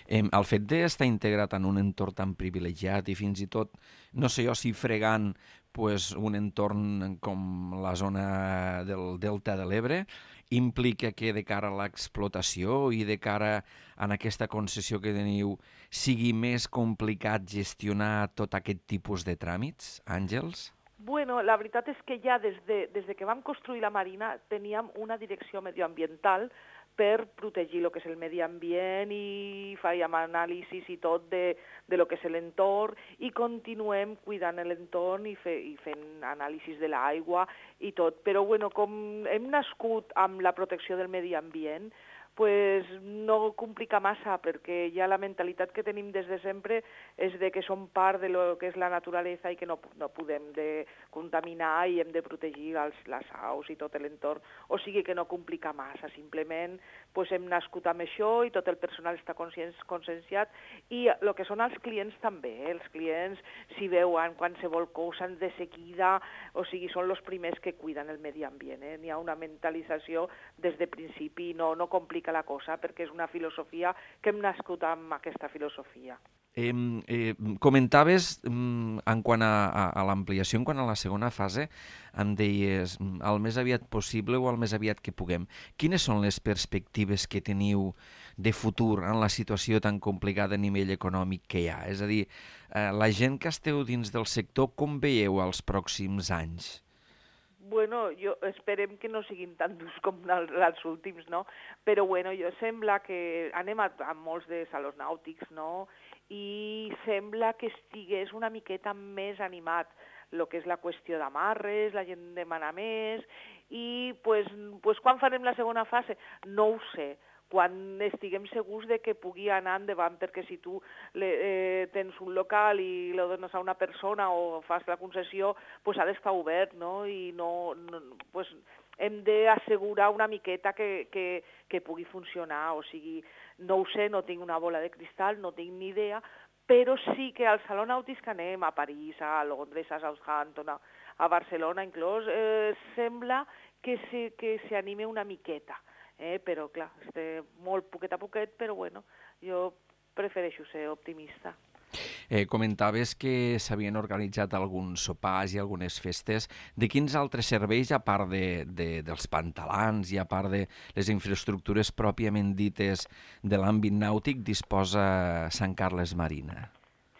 Eh, el fet d'estar integrat en un entorn tan privilegiat i fins i tot, no sé jo si fregant pues, un entorn com la zona del Delta de l'Ebre, implica que de cara a l'explotació i de cara a aquesta concessió que teniu sigui més complicat gestionar tot aquest tipus de tràmits, Àngels? Bueno, la veritat és que ja des de, des de que vam construir la marina teníem una direcció medioambiental per protegir el que és el medi ambient i fèiem anàlisis i tot de, de lo que és l'entorn i continuem cuidant l'entorn i, fe, i fent anàlisis de l'aigua i tot. Però bueno, com hem nascut amb la protecció del medi ambient, pues no complica massa, perquè ja la mentalitat que tenim des de sempre és de que som part de lo que és la naturalesa i que no, no podem de contaminar i hem de protegir els, les aus i tot l'entorn. O sigui que no complica massa, simplement pues, hem nascut amb això i tot el personal està conscienciat i el que són els clients també, eh? Els clients si veuen qualsevol cosa de seguida, o sigui, són els primers que cuiden el medi ambient. Eh? N'hi ha una mentalització des de principi, no, no complica la cosa, perquè és una filosofia que hem nascut amb aquesta filosofia. Eh, eh, comentaves mm, en quant a, a, a l'ampliació, en quant a la segona fase, em deies el més aviat possible o el més aviat que puguem. Quines són les perspectives que teniu de futur en la situació tan complicada a nivell econòmic que hi ha? És a dir, eh, la gent que esteu dins del sector, com veieu els pròxims anys? Bueno, jo esperem que no siguin tan durs com els últims, no? Però bueno, jo sembla que anem a, a molts de salons nàutics, no? I sembla que estigués una miqueta més animat el que és la qüestió d'amarres, la gent demana més, i pues, pues, quan farem la segona fase? No ho sé. Quan estiguem segurs de que pugui anar endavant, perquè si tu le, eh, tens un local i lo dones a una persona o fas la concessió, pues ha d'estar obert, no? I no, no pues hem d'assegurar una miqueta que, que, que pugui funcionar, o sigui, no ho sé, no tinc una bola de cristal, no tinc ni idea, però sí que al Saló Nàutic que anem, a París, a Londres, a Southampton, a, a Barcelona inclús, eh, sembla que se, que s'anime una miqueta. Eh, però, clar, esté molt poquet a poquet, però, bueno, jo prefereixo ser optimista. Eh, comentaves que s'havien organitzat alguns sopars i algunes festes. De quins altres serveis, a part de, de, dels pantalans i a part de les infraestructures pròpiament dites de l'àmbit nàutic, disposa Sant Carles Marina?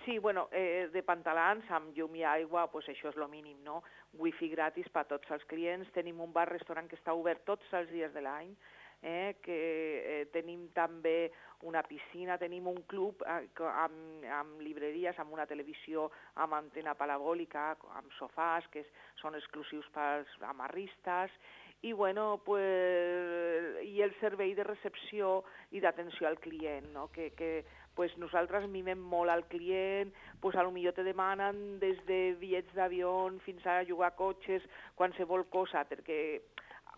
Sí, bueno, eh, de pantalans amb llum i aigua, pues això és el mínim, no? Wifi gratis per a tots els clients. Tenim un bar-restaurant que està obert tots els dies de l'any, eh, que eh, tenim també una piscina, tenim un club eh, amb, amb llibreries, amb una televisió amb antena parabòlica, amb sofàs que és, són exclusius pels amarristes, i bueno, pues, i el servei de recepció i d'atenció al client, no? que, que pues, nosaltres mimem molt al client, pues, a lo millor te demanen des de bitllets d'avió fins a jugar a cotxes, qualsevol cosa, perquè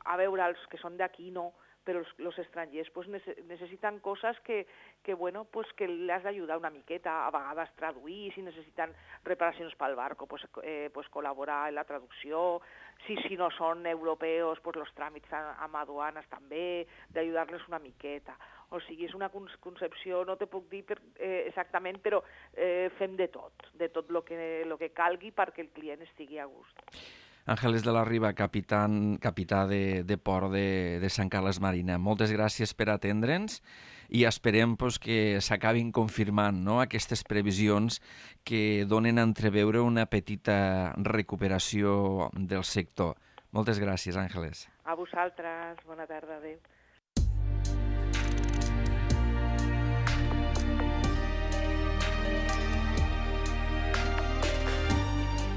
a veure, els que són d'aquí no, però els, els estrangers pues, necessiten coses que, que, bueno, pues, que les d'ajudar una miqueta, a vegades traduir, si necessiten reparacions pel barco, pues, eh, pues, col·laborar en la traducció, si, si no són europeus, pues, els tràmits amb aduanes també, d'ajudar-les una miqueta. O sigui, és una concepció, no te puc dir per, eh, exactament, però eh, fem de tot, de tot el que, lo que calgui perquè el client estigui a gust. Àngeles de la Riba, capitán, capità de, de port de, de Sant Carles Marina, moltes gràcies per atendre'ns i esperem pues, que s'acabin confirmant, no?, aquestes previsions que donen a entreveure una petita recuperació del sector. Moltes gràcies, Àngeles. A vosaltres, bona tarda, adéu.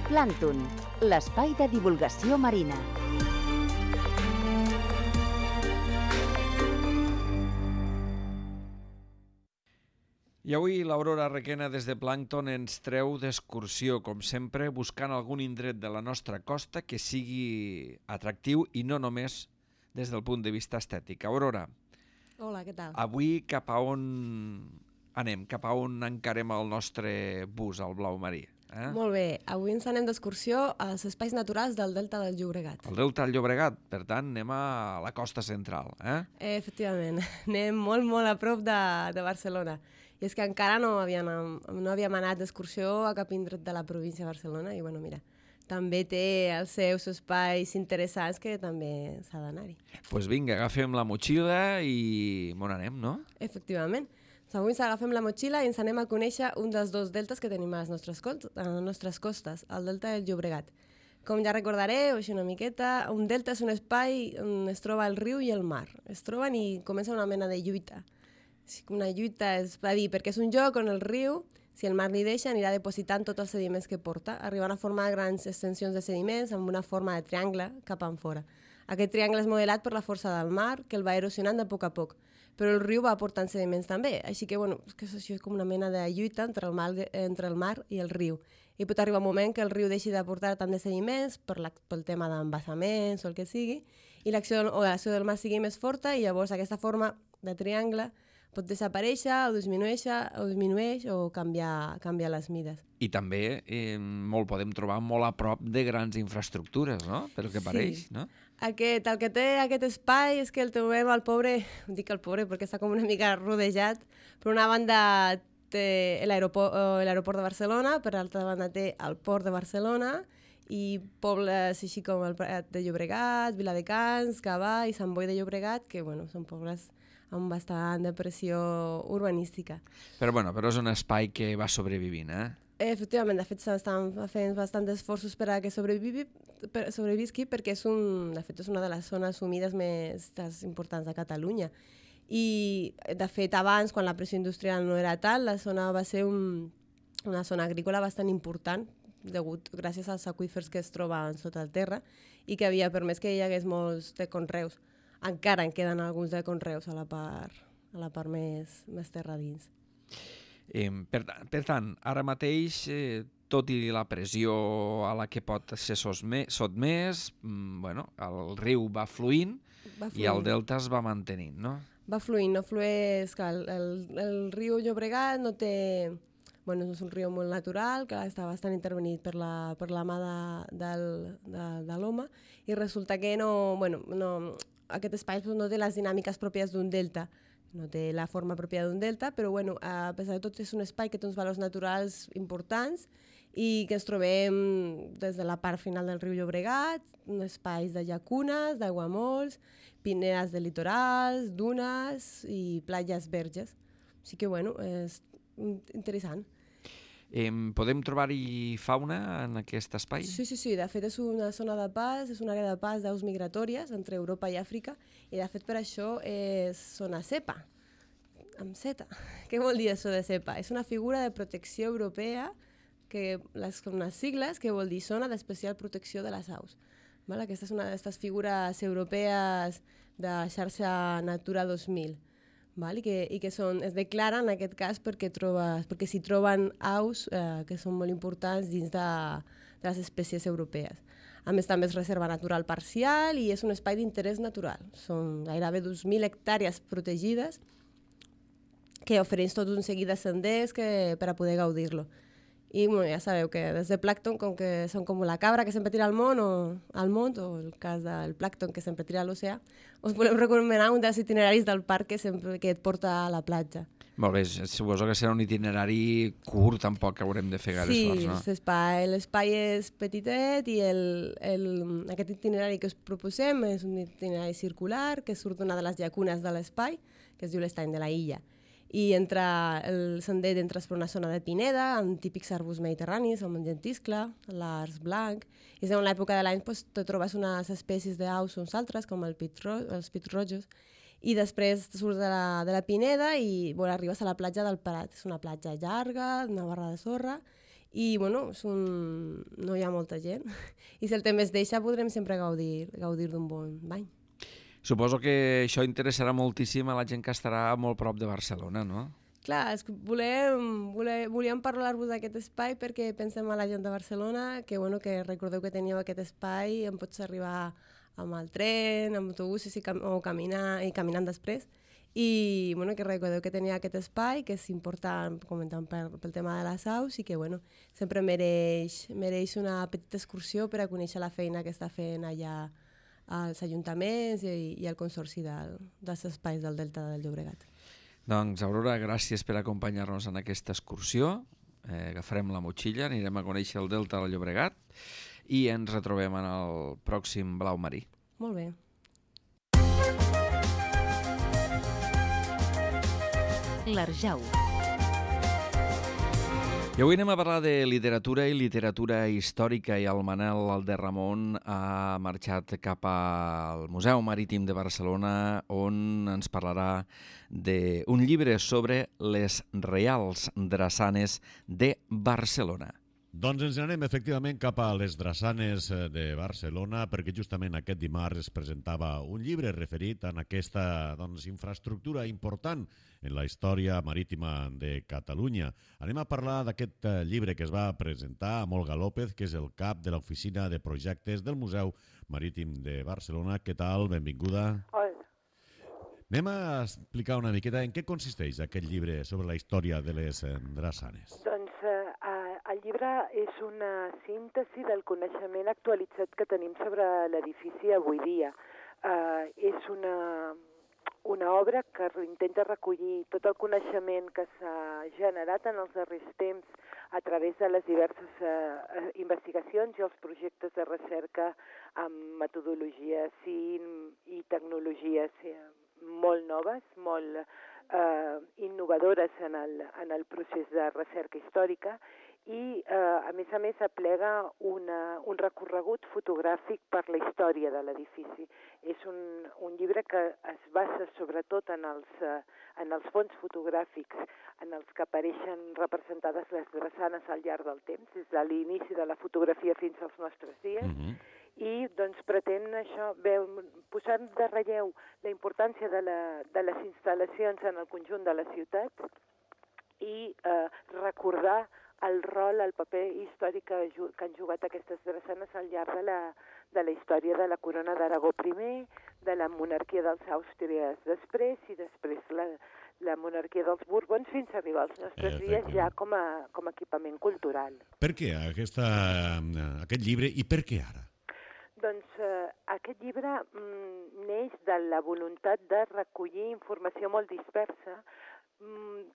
Plàncton, l'espai de divulgació marina. I avui l'Aurora Requena des de Plàncton ens treu d'excursió, com sempre, buscant algun indret de la nostra costa que sigui atractiu i no només des del punt de vista estètic. Aurora. Hola, què tal? Avui cap a on anem? Cap a on encarem el nostre bus, al blau marí? Eh? Molt bé, avui ens anem d'excursió als espais naturals del Delta del Llobregat. El Delta del Llobregat, per tant, anem a la costa central. Eh? Eh, efectivament, anem molt, molt a prop de, de Barcelona. I és que encara no havíem, no havíem anat d'excursió a cap indret de la província de Barcelona i, bueno, mira, també té els seus espais interessants que també s'ha d'anar-hi. Doncs pues vinga, agafem la motxilla i on anem, no? Efectivament. Avui ens agafem la motxilla i ens anem a conèixer un dels dos deltes que tenim a les nostres, a les nostres costes, el Delta del Llobregat. Com ja recordareu, així una miqueta, un delta és un espai on es troba el riu i el mar. Es troben i comença una mena de lluita. Una lluita és a dir, perquè és un lloc on el riu, si el mar li deixa, anirà depositant tots els sediments que porta, arribant a formar grans extensions de sediments amb una forma de triangle cap enfora. Aquest triangle és modelat per la força del mar, que el va erosionant de poc a poc, però el riu va aportant sediments també, així que, bueno, és que això és com una mena de lluita entre el mar, entre el mar i el riu. I pot arribar un moment que el riu deixi d'aportar tant de sediments per la, pel tema d'embassaments o el que sigui, i l'acció o l'acció del mar sigui més forta i llavors aquesta forma de triangle pot desaparèixer o disminueix o, disminueix o canviar, canviar les mides. I també eh, molt podem trobar molt a prop de grans infraestructures, no? Pel que sí. pareix, no? Aquest, el que té aquest espai és que el trobem al pobre, dic el pobre perquè està com una mica rodejat, per una banda té l'aeroport, l'aeroport de Barcelona, per l'altra banda té el port de Barcelona i pobles així com el Prat de Llobregat, Viladecans, Gavà i Sant Boi de Llobregat, que bueno, són pobles amb bastant de pressió urbanística. Però, bueno, però és un espai que va sobrevivint, eh? Efectivament, de fet s'estan fent bastants esforços per a que sobrevivi, per, sobrevisqui perquè és, un, de fet, és una de les zones humides més importants de Catalunya. I, de fet, abans, quan la pressió industrial no era tal, la zona va ser un, una zona agrícola bastant important, degut, gràcies als aqüífers que es troben sota el terra i que havia permès que hi hagués molts de conreus. Encara en queden alguns de conreus a la part, a la part més, més terra dins. Eh, per, per tant, ara mateix, eh, tot i la pressió a la que pot ser sotmès, mm, bueno, el riu va fluint, va fluint i el delta es va mantenint, no? Va fluint, no flueix, que el, el, el riu Llobregat no té... Bueno, és un riu molt natural, que està bastant intervenit per la, per la mà de, del, de, de l'home, i resulta que no, bueno, no, aquest espai no té les dinàmiques pròpies d'un delta, no té la forma pròpia d'un delta, però bueno, a pesar de tot és un espai que té uns valors naturals importants i que ens trobem des de la part final del riu Llobregat, espais de llacunes, d'aiguamolls, pinedes de litorals, dunes i platges verges. O sigui que, bueno, és interessant. Eh, podem trobar-hi fauna en aquest espai? Sí, sí, sí. De fet, és una zona de pas, és una àrea de pas d'aus migratòries entre Europa i Àfrica, i de fet per això és zona CEPA, amb zeta. Què vol dir això de CEPA? És una figura de protecció europea, que les, com unes sigles, que vol dir Zona d'Especial Protecció de les Aus. Val? Aquesta és una d'aquestes figures europees de xarxa Natura dos mil. Val? I que, i que són, es declaren en aquest cas perquè, trobes, perquè s'hi troben aus eh, que són molt importants dins de, de les espècies europees. A més, també és reserva natural parcial i és un espai d'interès natural. Són gairebé dos mil hectàrees protegides que ofereix tot un seguit de senders que, per a poder gaudir-lo. I bueno, ja sabeu que des de plàncton, com que són com la cabra que sempre tira al món, o al món, o el cas del plàncton que sempre tira a l'oceà, us volem recomanar un dels itineraris del parc que, sempre, que et porta a la platja. Molt bé, suposo que serà un itinerari curt, tampoc haurem de fer gaire sí, esforç, no? Sí, l'espai és petitet i el, el, aquest itinerari que us proposem és un itinerari circular que surt d'una de les llacunes de l'espai, que es diu l'Estany de la Illa. I entre el sender entres per una zona de pineda, amb típics arbusts mediterranis, amb el llentiscle, l'arç blanc, i en l'època de l'any pues, te trobes unes espècies d'aus uns altres, com el pit ro els pits rojos, i després surts de la, de la pineda i bueno, arribes a la platja del Prat. És una platja llarga, una barra de sorra, i bueno, és un... no hi ha molta gent. I si el temps deixa, podrem sempre gaudir, gaudir d'un bon bany. Suposo que això interessarà moltíssim a la gent que estarà molt prop de Barcelona, no? Clar, és que volem, volem, volíem parlar-vos d'aquest espai perquè pensem a la gent de Barcelona, que, bueno, que recordeu que teníeu aquest espai, en pots arribar amb el tren, amb autobusos i, cam o caminar, i caminant després, i bueno, que recordeu que tenia aquest espai, que és important, comentant pel, pel tema de les aus, i que bueno, sempre mereix, mereix una petita excursió per a conèixer la feina que està fent allà als ajuntaments i, i al consorci del, dels espais del Delta del Llobregat. Doncs, Aurora, gràcies per acompanyar-nos en aquesta excursió. Eh, agafarem la motxilla, anirem a conèixer el Delta del Llobregat i ens retrobem en el pròxim Blau Marí. Molt bé. L'Arjau. I avui anem a parlar de literatura i literatura històrica, i el Manel Alderramon ha marxat cap al Museu Marítim de Barcelona, on ens parlarà d'un llibre sobre les Reials Drassanes de Barcelona. Doncs ens anem efectivament cap a les Drassanes de Barcelona, perquè justament aquest dimarts es presentava un llibre referit a aquesta doncs, infraestructura important en la història marítima de Catalunya. Anem a parlar d'aquest llibre que es va presentar amb Olga López, que és el cap de l'Oficina de Projectes del Museu Marítim de Barcelona. Què tal? Benvinguda. Hola. Anem a explicar una miqueta en què consisteix aquest llibre sobre la història de les Drassanes. Doncs eh, el llibre és una síntesi del coneixement actualitzat que tenim sobre l'edifici avui dia. Eh, és una, una obra que intenta recollir tot el coneixement que s'ha generat en els darrers temps a través de les diverses eh, investigacions i els projectes de recerca amb metodologies i, i tecnologies eh, molt noves, molt eh, innovadores en el, en el procés de recerca històrica, i eh, a més a més aplega una, un recorregut fotogràfic per la història de l'edifici. És un, un llibre que es basa sobretot en els, eh, en els fons fotogràfics en els que apareixen representades les drassanes al llarg del temps, des de l'inici de la fotografia fins als nostres dies, mm-hmm. i doncs pretén això, veu, posar de relleu la importància de, la, de les instal·lacions en el conjunt de la ciutat i eh, recordar el rol, el paper històric que, que han jugat aquestes drassanes al llarg de la, de la història de la corona d'Aragó primer, de la monarquia dels Àustries després i després la, la monarquia dels Borbons fins a arribar als nostres dies ja com a, com a equipament cultural. Per què aquesta, aquest llibre i per què ara? Doncs eh, aquest llibre mm, neix de la voluntat de recollir informació molt dispersa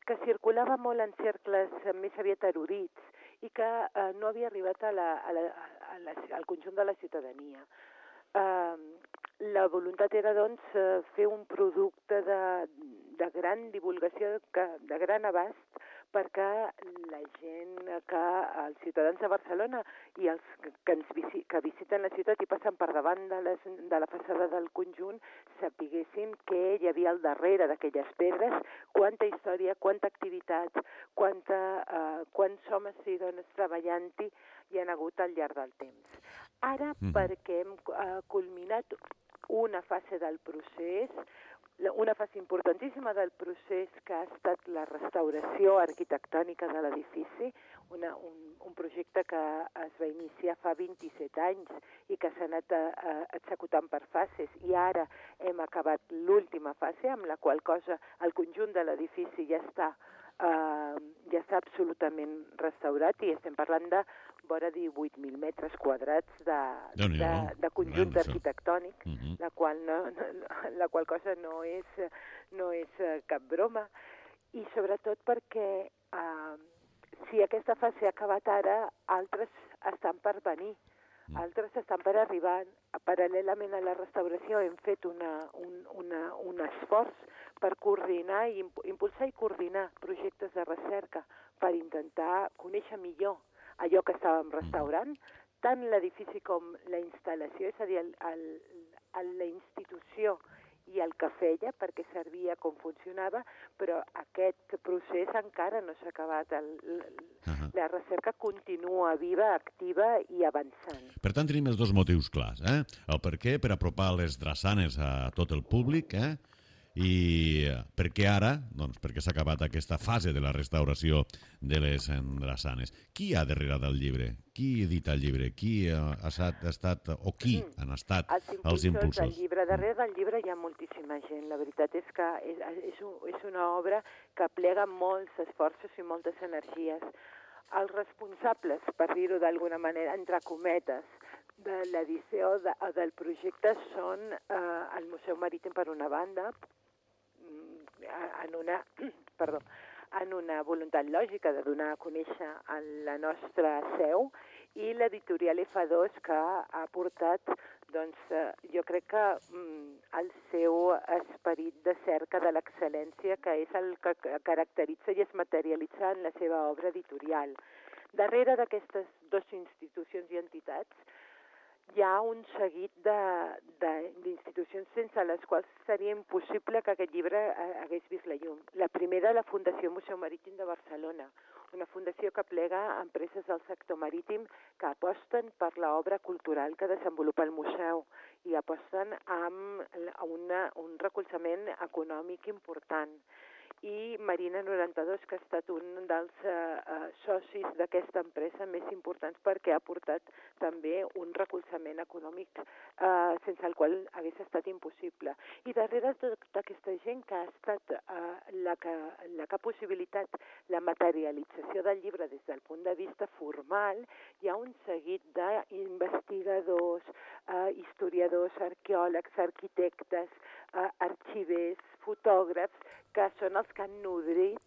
que circulava molt en cercles més aviat erudits i que eh, no havia arribat a la, a la, a la, al conjunt de la ciutadania. Eh, la voluntat era, doncs, fer un producte de, de gran divulgació, que, de gran abast, perquè la gent, que els ciutadans de Barcelona i els que, ens visi, que visiten la ciutat i passen per davant de, les, de la façana del conjunt sapiguessin què hi havia al darrere d'aquelles pedres, quanta història, quanta activitat, quanta, uh, quants homes i dones treballant-hi hi han hagut al llarg del temps. Ara, mm. perquè hem uh, culminat una fase del procés, una fase importantíssima del procés que ha estat la restauració arquitectònica de l'edifici, una, un, un projecte que es va iniciar fa vint-i-set anys i que s'ha anat a, a, executant per fases, i ara hem acabat l'última fase, amb la qual cosa el conjunt de l'edifici ja està, uh, ja està absolutament restaurat, i estem parlant de vora divuit mil metres quadrats de, de, de conjunt arquitectònic, uh-huh. la, qual no, no, la qual cosa no és, no és cap broma. I sobretot perquè eh, si aquesta fase ha acabat ara, altres estan per venir, uh-huh. altres estan per arribar. Paral·lelament a la restauració hem fet una, un, una, un esforç per coordinar i impulsar i coordinar projectes de recerca per intentar conèixer millor allò que estàvem restaurant, tant l'edifici com la instal·lació, és a dir, el, el, el, la institució i el que feia, perquè servia com funcionava, però aquest procés encara no s'ha acabat. El, el, uh-huh. La recerca continua viva, activa i avançant. Per tant, tenim els dos motius clars. Eh? El per què, per apropar les drassanes a tot el públic, eh? I per què ara? Doncs perquè s'ha acabat aquesta fase de la restauració de les drassanes. Qui hi ha darrere del llibre? Qui edita el llibre? Qui ha estat, ha estat o qui han estat els impulsors? Els impulsors del llibre. Darrere del llibre hi ha moltíssima gent. La veritat és que és, és, un, és una obra que plega molts esforços i moltes energies. Els responsables, per dir-ho d'alguna manera, entre cometes, de l'edició de, del projecte són eh, el Museu Marítim per una banda, en una, perdó, en una voluntat lògica de donar a conèixer a la nostra seu, i l'editorial F dos que ha portat, doncs, jo crec que el seu esperit de cerca de l'excel·lència, que és el que caracteritza i es materialitza en la seva obra editorial. Darrere d'aquestes dues institucions i entitats hi ha un seguit d'institucions sense les quals seria impossible que aquest llibre hagués vist la llum. La primera, la Fundació Museu Marítim de Barcelona, una fundació que plega empreses del sector marítim que aposten per l'obra cultural que desenvolupa el museu i aposten amb una, un recolzament econòmic important. I Marina noranta-dos, que ha estat un dels eh, socis d'aquesta empresa més importants perquè ha portat també un recolzament econòmic eh, sense el qual hagués estat impossible. I darrere tota aquesta gent que ha estat eh, la, que, la que ha possibilitat la materialització del llibre des del punt de vista formal, hi ha un seguit d'investigadors, eh, historiadors, arqueòlegs, arquitectes, eh, arxivers, fotògrafs, que són els que han nodrit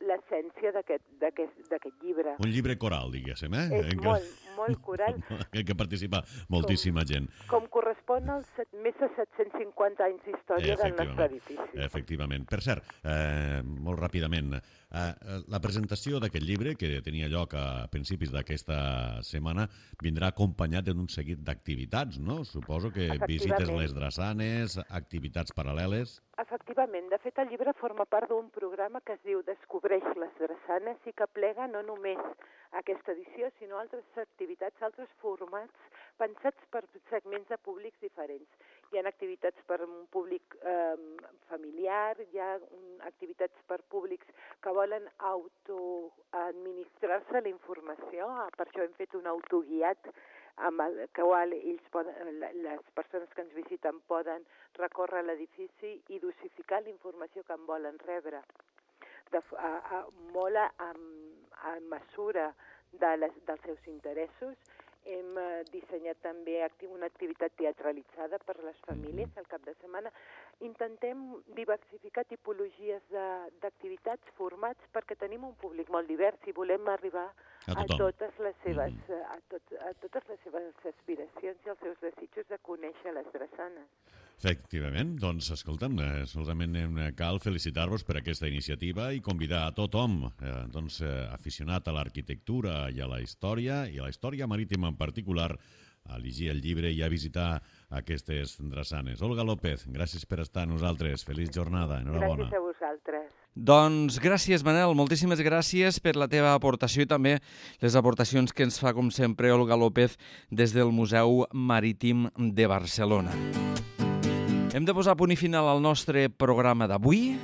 l'essència d'aquest llibre. Un llibre coral, diguéssim, eh? És molt, molt coral. En què participa moltíssima com, gent. Com correspon als set, més de set-cents cinquanta anys d'història del nostre edifici. Efectivament. Per cert, eh, molt ràpidament, eh, la presentació d'aquest llibre, que tenia lloc a principis d'aquesta setmana, vindrà acompanyat d'un seguit d'activitats, no? Suposo que visites les drassanes, activitats paral·leles... Efectivament. De fet, el llibre forma part d'un programa que es diu Descobreix les drassanes i que plega no només aquesta edició, sinó altres activitats, altres formats pensats per segments de públics diferents. Hi ha activitats per un públic eh, familiar, hi ha un, activitats per públics que volen autoadministrar-se la informació, per això hem fet un autoguiat amb el qual ells poden, les persones que ens visiten poden recórrer l'edifici i dosificar la informació que en volen rebre. De, a, a, molt a, a mesura de les, dels seus interessos. Hem eh, dissenyat també acti una activitat teatralitzada per a les famílies al cap de setmana. Intentem diversificar tipologies d'activitats, formats, perquè tenim un públic molt divers i volem arribar a, a, totes, les seves, a, tot, a totes les seves aspiracions i els seus desitjos de conèixer les drassanes. Efectivament, doncs, escolta'm, solament cal felicitar-vos per aquesta iniciativa i convidar a tothom, eh, doncs, eh, aficionat a l'arquitectura i a la història, i a la història marítima en particular, a llegir el llibre i a visitar aquestes drassanes. Olga López, gràcies per estar amb nosaltres. Feliç jornada, enhorabona. Gràcies a vosaltres. Doncs gràcies, Manel, moltíssimes gràcies per la teva aportació i també les aportacions que ens fa, com sempre, Olga López des del Museu Marítim de Barcelona. Hem de posar punt i final al nostre programa d'avui.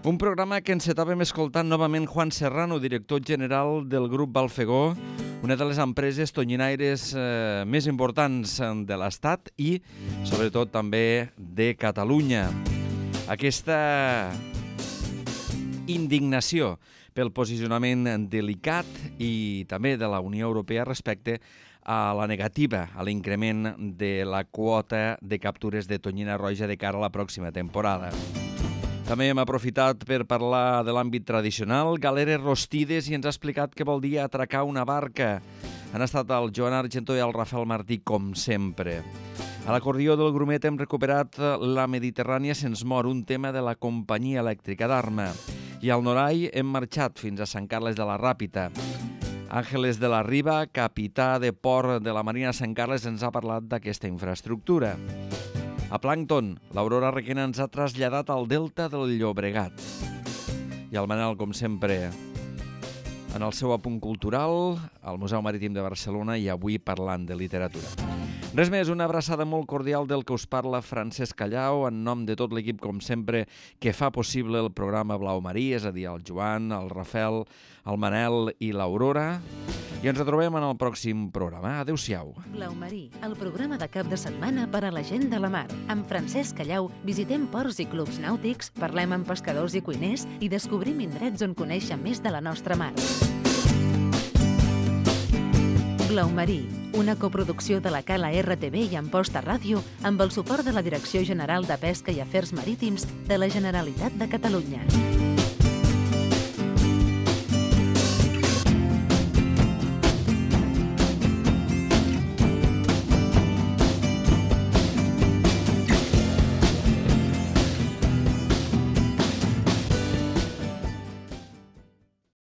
Un programa que encetàvem escoltant novament Juan Serrano, director general del grup Balfegó, una de les empreses tonyinaires eh, més importants de l'Estat i, sobretot, també de Catalunya. Aquesta indignació pel posicionament delicat i també de la Unió Europea respecte a la negativa a l'increment de la quota de captures de tonyina roja de cara a la pròxima temporada. També hem aprofitat per parlar de l'àmbit tradicional, galeres rostides, i ens ha explicat què vol dir atracar una barca. Han estat el Joan Argentó i el Rafael Martí, com sempre. A l'acordió del Grumet hem recuperat La Mediterrània se'ns mor, un tema de la companyia elèctrica d'Arma. I al Norai hem marxat fins a Sant Carles de la Ràpita. Àngeles de la Riba, capità de port de la Marina de Sant Carles, ens ha parlat d'aquesta infraestructura. A Plàncton, l'Aurora Requena ens ha traslladat al Delta del Llobregat. I el Manel, com sempre, en el seu apunt cultural, al Museu Marítim de Barcelona, i avui parlant de literatura. Res més, una abraçada molt cordial del que us parla Francesc Callau, en nom de tot l'equip, com sempre, que fa possible el programa Blau Marí, és a dir, el Joan, el Rafel, el Manel i l'Aurora. I ens trobem en el pròxim programa. Adéu-siau. Blau Marí, el programa de cap de setmana per a la gent de la mar. Amb Francesc Callau visitem ports i clubs nàutics, parlem amb pescadors i cuiners i descobrim indrets on conèixer més de la nostra mar. Blau Marí, una coproducció de la Cala R T V i Amposta Ràdio amb el suport de la Direcció General de Pesca i Afers Marítims de la Generalitat de Catalunya.